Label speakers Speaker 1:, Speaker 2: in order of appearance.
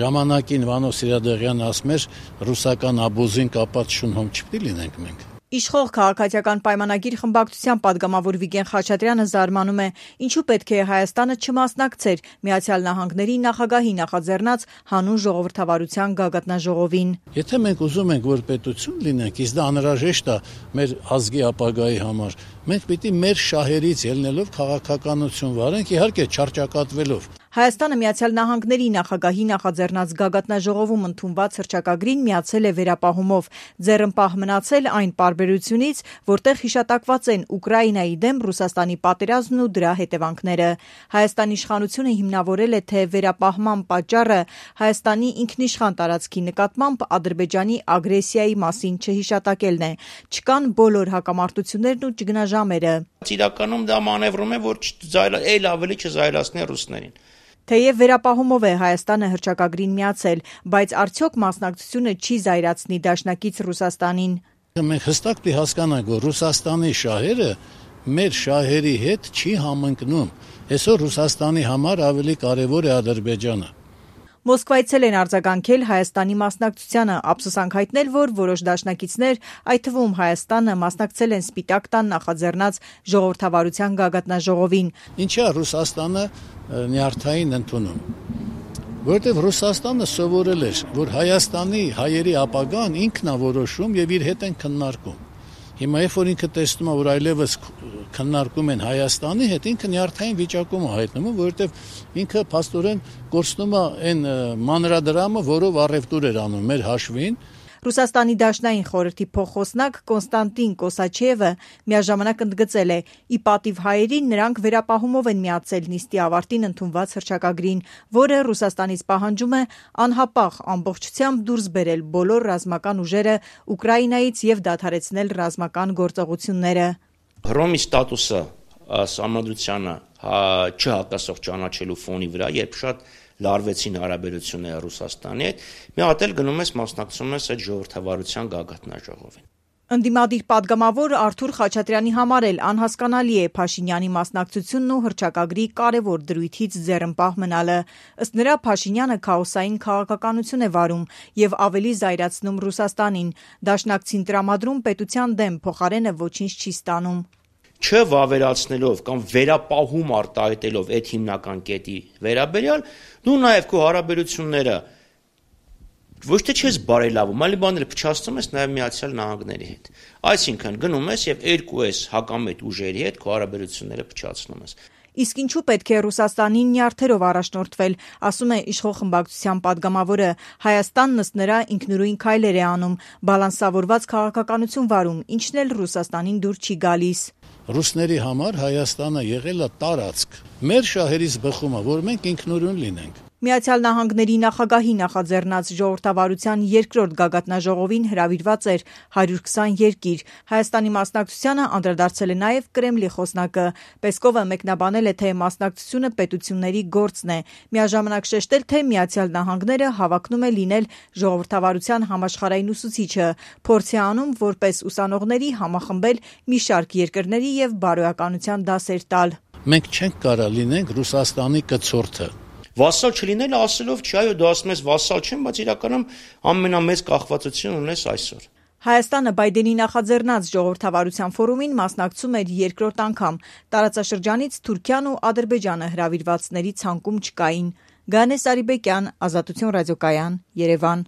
Speaker 1: Ժամանակին Վանո Սիրադեղյանը ասում էր, ռուսական աբուզին կապած շունհոմ չպիտի լինենք մենք։
Speaker 2: Իշխող քաղաքացիական պայմանագիր խմբակցության պատգամավոր Վիգեն Խաչատրյանը զարմանում է, ինչու պետք է Հայաստանը չմասնակցեր Միացյալ Նահանգների նախագահի նախաձեռնած հանուն ժողովրդավարության գագաթնաժողովին։
Speaker 1: Եթե մենք ուզում ենք, որ պետություն լինենք, իսկ դա անհրաժեշտ է մեր ազգի ապագայի համար, մենք պիտի մեր շահերից ելնելով քաղաքականություն վարենք, իհարկե չարճակատվելով։
Speaker 2: Հայաստանը Միացյալ Նահանգների նախագահի նախաձեռնած գագաթնաժողովում ընդունված հռչակագրին միացել է վերապահումով, ձեռնպահ մնացել այն պարբերությունից, որտեղ հիշատակված են Ուկրաինայի դեմ Ռուսաստանի պատերազմն ու դրա հետևանքները։ Հայաստանի իշխանությունը հիմնավորել է, թե վերապահման պատճառը Հայաստանի ինքնիշխան տարածքի նկատմամբ Ադրբեջանի ագրեսիայի մասին չհիշատակելն է։ Չկան բոլոր հակամարտություններն ու ճգնաժամերը։
Speaker 3: Իրականում դա մանևրում է, որ այլ ավելի չզայրացնի ռուսներին։
Speaker 2: Թեև վերապահումով է Հայաստանը հռչակագրին միացել, բայց արդյոք մասնակցությունը չի զայրացնի դաշնակից Ռուսաստանին։
Speaker 1: Մենք հստակ պիտի հասկանանք, որ Ռուսաստանի շահերը մեր շահերի հետ չի համընկնում։ Այսօր Ռուսաստանի համար ավելի կարևոր է Ադրբեջանը։
Speaker 2: Մոսկվայցել են արձագանքել Հայաստանի մասնակցությանը, ափսոսանք հայտնել, որ որոշ դաշնակիցներ, այդ թվում Հայաստանը, մասնակցել են Սպիտակ տան նախաձեռնած ժողովրդավարության գագաթնաժողովին։
Speaker 1: Ինչա Ռուսաստանը նյարդային ընդունում, որովհետև Ռուսաստանը սովորել էր, որ Հայաստանի հայերի ապագան ինքն է որոշում եւ իր հետ են քննարկում։ Հիմա երբ որ ինքը տեսնում է, որ այլևս քննարկում են Հայաստանի հետ, ինքը նյարդային վիճակում է հայտնվում, որովհետև ինքը փաստորեն կորցնում է այն մանրադրամը, որով առևտուր էր անում մեր հաշվին։
Speaker 2: Ռուսաստանի Դաշնային խորհրդի փոխխոսնակ Կոնստանտին Կոսաչևը միաժամանակ ընդգծել է, ի պատիվ հայերին նրանք վերապահումով են միացել նիստի ավարտին ընդունված հռչակագրին, որը Ռուսաստանից պահանջում է անհապաղ ամբողջությամբ դուրս բերել բոլոր ռազմական ուժերը Ուկրաինայից եւ դադարեցնել ռազմական գործողությունները։
Speaker 3: Հռոմի ստատուսը սահմանադրությանը չհակասող ճանաչելու ֆոնի վրա, երբ շատ լարվեցին հարաբերությունները Ռուսաստանի հետ, մի հատ էլ գնում ես մասնակցում ես այդ ժողովրդավարության գագաթնաժողովին։
Speaker 2: Ընդդիմադիր պատգամավոր Արթուր Խաչատրյանի համար էլ անհասկանալի է Փաշինյանի մասնակցությունն ու հռչակագրի կարևոր դրույթից ձեռնպահ մնալը։ Ըստ նրա Փաշինյանը քաոսային քաղաքականություն է վարում եւ ավելի զայրացնում Ռուսաստանին։ Դաշնակցին տրամադրում պետության դեմ, փոխարենը ոչինչ չի ստանում։
Speaker 3: Չվավերացնելով կամ վերապահում արտահայտելով այդ հիմնական կետի վերաբերյալ, դու նաև քո հարաբերությունները ոչ թե չես բարելավում, այլ բաները փչացնում ես նաև Միացյալ Նահանգների հետ։ Այսինքն գնում ես եւ երկու ես հակամետ ուժերի հետ քո հարաբերությունները փչացնում ես։
Speaker 2: Իսկ ինչու պետք է Ռուսաստանին նյարդերով առաջնորդվել, ասում է իշխող խմբակցության պատգամավորը, Հայաստանն ըստ նրա ինքնուրույն քայլեր է անում, բալանսավորված քաղաքականություն վարում, ինչն էլ Ռուսաստանին դուր չի գալիս։
Speaker 1: Ռուսների համար Հայաստանը եղել է տարածք։ Մեր շահերից բխում է, որ մենք ինքնուրույն լինենք։
Speaker 2: Միացյալ Նահանգների նախագահի նախաձեռնած ժողովրդավարության երկրորդ գագաթնաժողովին հրավիրված էր 120 երկիր։ Հայաստանի մասնակցությանը անդրադարձել է նաև Կրեմլի խոսնակը։ Պեսկովը մեկնաբանել է, թե մասնակցությունը պետությունների գործն է։ Միաժամանակ շեշտել, թե Միացյալ Նահանգները հավակնում է լինել ժողովրդավարության համաշխարհային ուսուցիչը, փորձ է անում որպես ուսանողների համախմբել մի շարք երկրների եւ բարոյականության դասեր տալ։
Speaker 1: Մենք չենք կարող լինենք Ռուսաստանի կցորդը։
Speaker 3: Վասալ չլինելը ասելով չի, այո, դու ասում ես վասալ չեմ, բայց իրականում ամենամեծ կախվածություն ունես այսօր։
Speaker 2: Հայաստանը Բայդենի նախաձեռնած ժողովրդավարության ֆորումին մասնակցում էր երկրորդ անգամ։ Տարածաշրջանից Թուրքիան ու Ադրբեջանը հրավիրվածների ցանկում չկային։ Գանե Սարիբեկյան, Ազատություն ռադիոկայան, Երևան։